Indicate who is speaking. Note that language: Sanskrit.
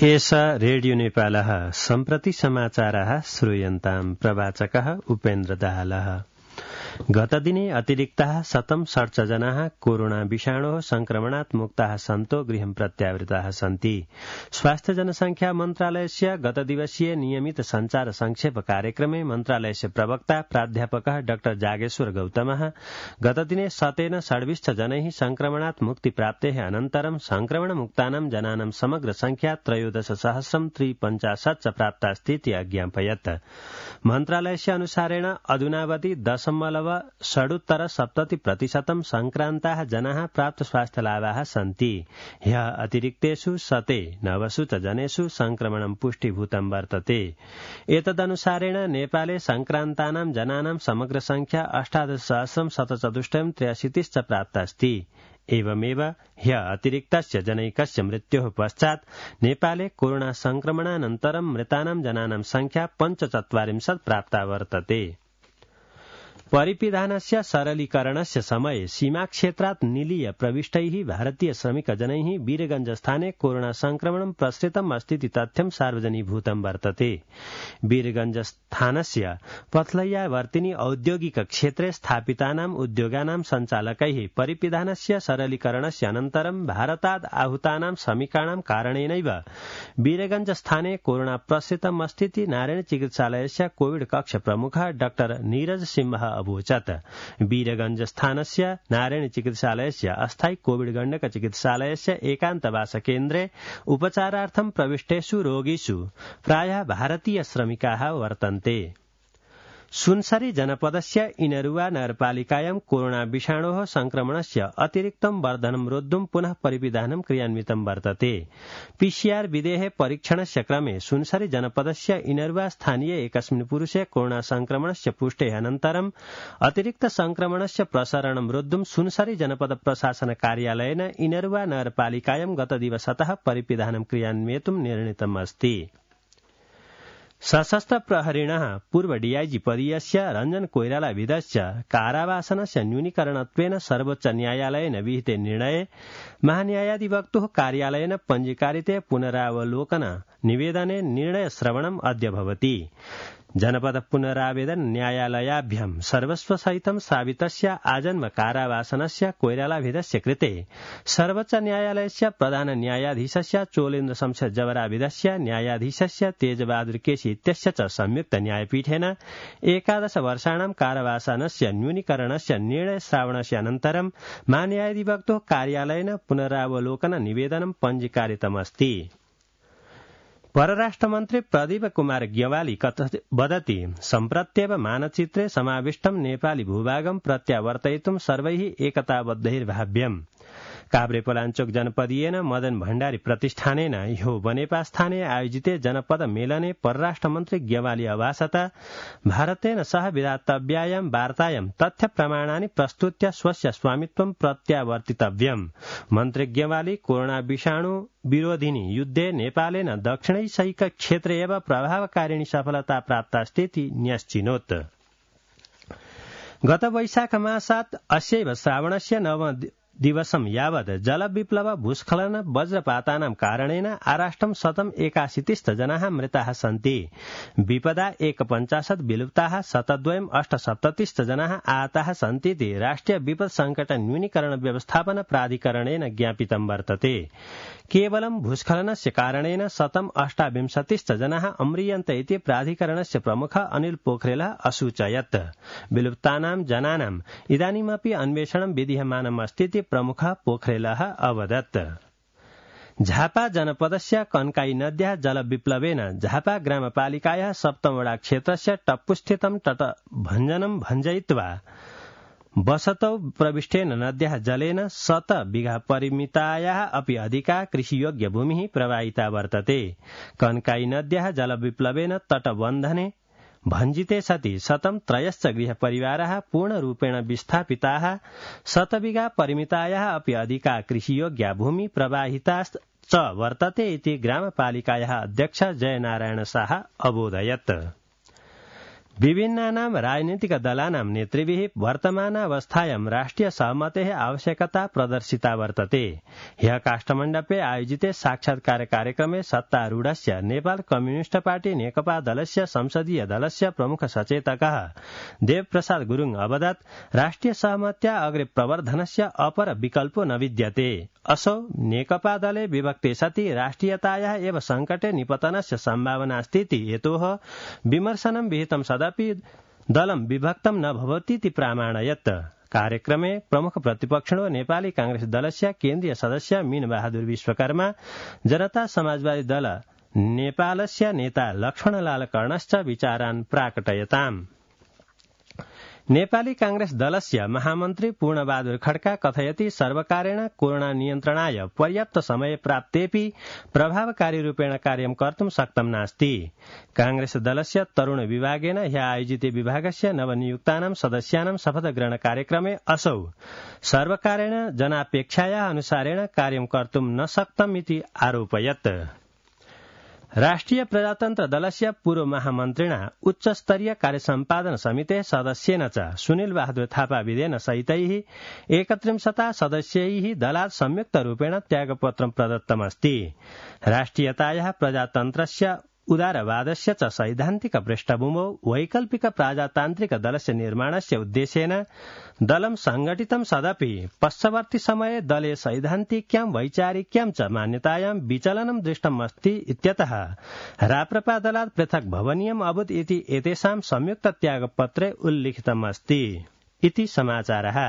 Speaker 1: एषा रेडियो नेपालः सम्प्रति समाचारः श्रूयन्ताम् प्रवाचकः उपेन्द्र दाहालः। गतदिने अतिरिक्ताः 167 जनाः कोरोना विषाणोः संक्रमणात् मुक्ताः सन्तो गृहं प्रत्यावृताः सन्ति। स्वास्थ्य जनसंख्या मन्त्रालयस्य गतदिवसीय नियमित संचार संक्षेप कार्यक्रमे मन्त्रालयस्य प्रवक्ता प्राध्यापकः डाक्टर जागेश्वर गौतमः गतदिने शतेन षड्विंश जनैः संक्रमणात् मुक्ति प्राप्तेः अनन्तरं संक्रमणमुक्तानां जनानां समग्र संख्या 13,350 च प्राप्तास्तीति अज्ञापयत्। मन्त्रालयस्य अनुसारेण अधुनावधि 0.70% संक्रान्ताः जनाः प्राप्त स्वास्थ्यलाभाः सन्ति। ह्यः अतिरिक्तेषु 109 च जनेषु संक्रमणं पुष्टिभूतं वर्तते। एतदनुसारेण नेपाले संक्रान्तानां जनानां समग्र संख्या 18,774 च प्राप्तास्ति। एवमेव ह्यः अतिरिक्तस्य जनैकस्य मृत्योः पश्चात् नेपाले कोरोना संक्रमणानन्तरं मृतानां जनानां संख्या 45 प्राप्ता वर्तते। परिपिधानस्य सरलीकरणस्य समये सीमाक्षेत्रात् निलीय प्रविष्टैः भारतीय श्रमिकजनैः वीरगंजस्थाने कोरोना संक्रमणं प्रसृतम् अस्तीति तथ्यं सार्वजनीभूतं वर्तते। वीरगंजस्थानस्य पथलैयावर्तिनि औद्योगिक क्षेत्रे स्थापितानाम् उद्योगानां सञ्चालकैः परिपिधानस्य सरलीकरणस्य अनन्तरं भारतात् आहूतानां श्रमिकाणां कारणेनैव वीरगंजस्थाने कोरोना प्रसृतम् अस्तीति नारायण चिकित्सालयस्य कोविड कक्ष प्रमुखः डाक्टर नीरज सिंह अभूचत्। वीरगंजस्थानस्य नारायण चिकित्सालयस्य अस्थायी कोविड गण्डक चिकित्सालयस्य एकान्तवास केन्द्रे उपचारार्थं प्रविष्टेषु रोगिषु प्रायः भारतीय श्रमिकाः वर्तन्ते। सुनसरी जनपदस्य इनरुवा नगरपालिकायां कोरोना विषाणोः संक्रमणस्य अतिरिक्तं वर्धनं रोद्धुं पुनः परिविधानं क्रियान्वितं वर्तते। पीसीआर विधेः परीक्षणस्य क्रमे सुनसरी जनपदस्य इनरुवा स्थानीय एकस्मिन् पुरुषे कोरोना संक्रमणस्य पुष्टेः अनन्तरं अतिरिक्त संक्रमणस्य प्रसारणं रोद्धुं सुनसरी जनपद प्रशासन कार्यालयेन इनरुवा नगरपालिकायां गतदिवसतः परिविधानं क्रियान्वयितुं निर्णीतम् अस्ति। सशस्त्र प्रहरिणः पूर्व डीआईजी पदीयस्य रञ्जन कोइराला विधस्य कारावासनस्य न्यूनीकरणत्वेन सर्वोच्च न्यायालयेन विहिते निर्णये महान्यायाधिवक्तुः कार्यालयेन पञ्जीकारिते पुनरावलोकन निवेदने निर्णय श्रवणम् अद्य भवति। जनपद पुनरावेदन न्यायालयाभ्यां सर्वस्वसहितं सावितस्य आजन्म कारावासनस्य कोइरालाविधस्य कृते सर्वोच्च न्यायालयस्य प्रधान न्यायाधीशस्य चोलेन्द्र शमशेर जवराविधस्य न्यायाधीशस्य तेजबहादुर केसी इत्यस्य च संयुक्त न्यायपीठेन 11 वर्षाणां कारावासनस्य न्यूनीकरणस्य निर्णय श्रावणस्य अनन्तरं महान्यायाधिवक्तुः कार्यालयेन पुनरावलोकन निवेदनं पञ्जीकारितमस्ति। परराष्ट्रमन्त्री प्रदीप कुमार ग्यवाली वदति सम्प्रत्येव मानचित्रे समाविष्टं नेपाली भूभागं प्रत्यावर्तयितुं सर्वैः एकताबद्धैर्भाव्यम्। काभ्रेपलाञ्चोक जनपदीयेन मदन भण्डारी प्रतिष्ठानेन ह्यो बनेपास्थाने आयोजिते जनपद मेलने परराष्ट्रमन्त्री ग्यवाली अभाषत भारतेन सह विधातव्यायां वार्तायां तथ्य प्रमाणानि प्रस्तुत्य स्वस्य स्वामित्वं प्रत्यावर्तितव्यम्। मन्त्री ग्यवाली कोरोना विषाणु विरोधिनि युद्धे नेपालेन दक्षिणैशिक क्षेत्रे एव प्रभावकारिणी सफलता प्राप्तास्तीति न्यश्चिनोत्। गत वैशाख मासात् अस्यैव श्रावणस्य 9 दिवसं यावत् जलविप्लव भूस्खलन वज्रपातानां कारणेन आराष्ट्रं 181 जनाः मृताः सन्ति। विपदा 51 विलुप्ताः 128 जनाः आहताः सन्तीति राष्ट्रिय विपद संकट न्यूनीकरण व्यवस्थापन प्राधिकरणेन ज्ञापितं वर्तते। केवलं भूस्खलनस्य कारणेन 128 जनाः अम्रियन्ते इति प्राधिकरणस्य प्रमुखः अनिल पोखरेलः असूचयत्। विलुप्तानां जनानाम् इदानीमपि अन्वेषणं विधीयमानम् अस्तीति प्रमुखः पोखरेलः अवदत्। झापा जनपदस्य कन्काई नद्याः जलविप्लवेन झापा ग्रामपालिकायाः सप्तमवडा क्षेत्रस्य टप्पुस्थितं तटभञ्जनं भञ्जयित्वा वसतौ प्रविष्टेन नद्याः जलेन 100 बिघा परिमितायाः अपि अधिका कृषियोग्य भूमिः प्रवाहिता वर्तते। कन्काई नद्याः जलविप्लवेन तटबन्धने भञ्जिते सति 103 गृहपरिवाराः पूर्णरूपेण विस्थापिताः 100 बिघा परिमितायाः अपि अधिका कृषियोग्या भूमि प्रवाहिता च वर्तते इति ग्रामपालिकायाः अध्यक्ष जयनारायण शाह अबोधयत्। विभिन्नानां राजनीतिक दलानां नेतृभिः वर्तमानावस्थायां राष्ट्रिय सहमतेः आवश्यकता प्रदर्शिता वर्तते। ह्यः काष्ठमण्डपे आयोजिते साक्षात्कार कार्यक्रमे सत्तारूढस्य नेपाल कम्युनिस्ट पार्टी नेकपा दलस्य संसदीय दलस्य प्रमुख सचेतकः देवप्रसाद गुरुङ अवदत् राष्ट्रिय सहमत्या अग्रे प्रवर्धनस्य अपर विकल्पो न विद्यते। असौ नेकपा दले विभक्ते सति राष्ट्रियतायाः एव संकटे निपतनस्य सम्भावनास्तीति हेतोः विमर्शनं विहितं सदपि दलं विभक्तं न भवतीति प्रामाणयत्। कार्यक्रमे प्रमुख प्रतिपक्षिणो नेपाली कांग्रेस दलस्य केन्द्रीय सदस्य मीनबहादुर विश्वकर्मा, जनता समाजवादी दल नेपालस्य नेता लक्ष्मणलाल कर्णश्च विचारान् प्राकटयताम्। नेपाली कांग्रेस दलस्य महामन्त्री पूर्णबहादुर खड्का कथयति सर्वकारेण कोरोना नियन्त्रणाय पर्याप्त समय प्राप्तेपि प्रभावकारी रूपेण कार्यं कर्तुं शक्तं नास्ति। कांग्रेस दलस्य तरुण विभागेन ह्यः आयोजिते विभागस्य नवनियुक्तानां सदस्यानां शपथग्रहण कार्यक्रमे असौ सर्वकारेण जनापेक्षायाः अनुसारेण कार्यं कर्तुं न शक्तमिति आरोपयत्। राष्ट्रिय प्रजातन्त्र दलस्य पूर्व महामन्त्रिणा उच्चस्तरीय कार्यसम्पादन समितेः सदस्येन च सुनिल बहादुर थापा विदेन सहितैः 31 सदस्यैः दलात् संयुक्तरूपेण त्यागपत्रं प्रदत्तमस्ति। राष्ट्रियतायाः प्रजातन्त्रस्य उदारवादस्य च सैद्धान्तिक पृष्ठभूमौ वैकल्पिक प्रजातान्त्रिक दलस्य निर्माणस्य उद्देश्येन दलं संगठितं सदपि पश्चवर्ती समये दले सैद्धान्तिक्यां वैचारिक्यां च मान्यतायां विचलनं दृष्टमस्ति इत्यतः राप्रपा दलात् पृथक् भवनीयम् अभूत् इति एतेषां संयुक्त त्यागपत्रे उल्लिखितमस्ति इति समाचारः।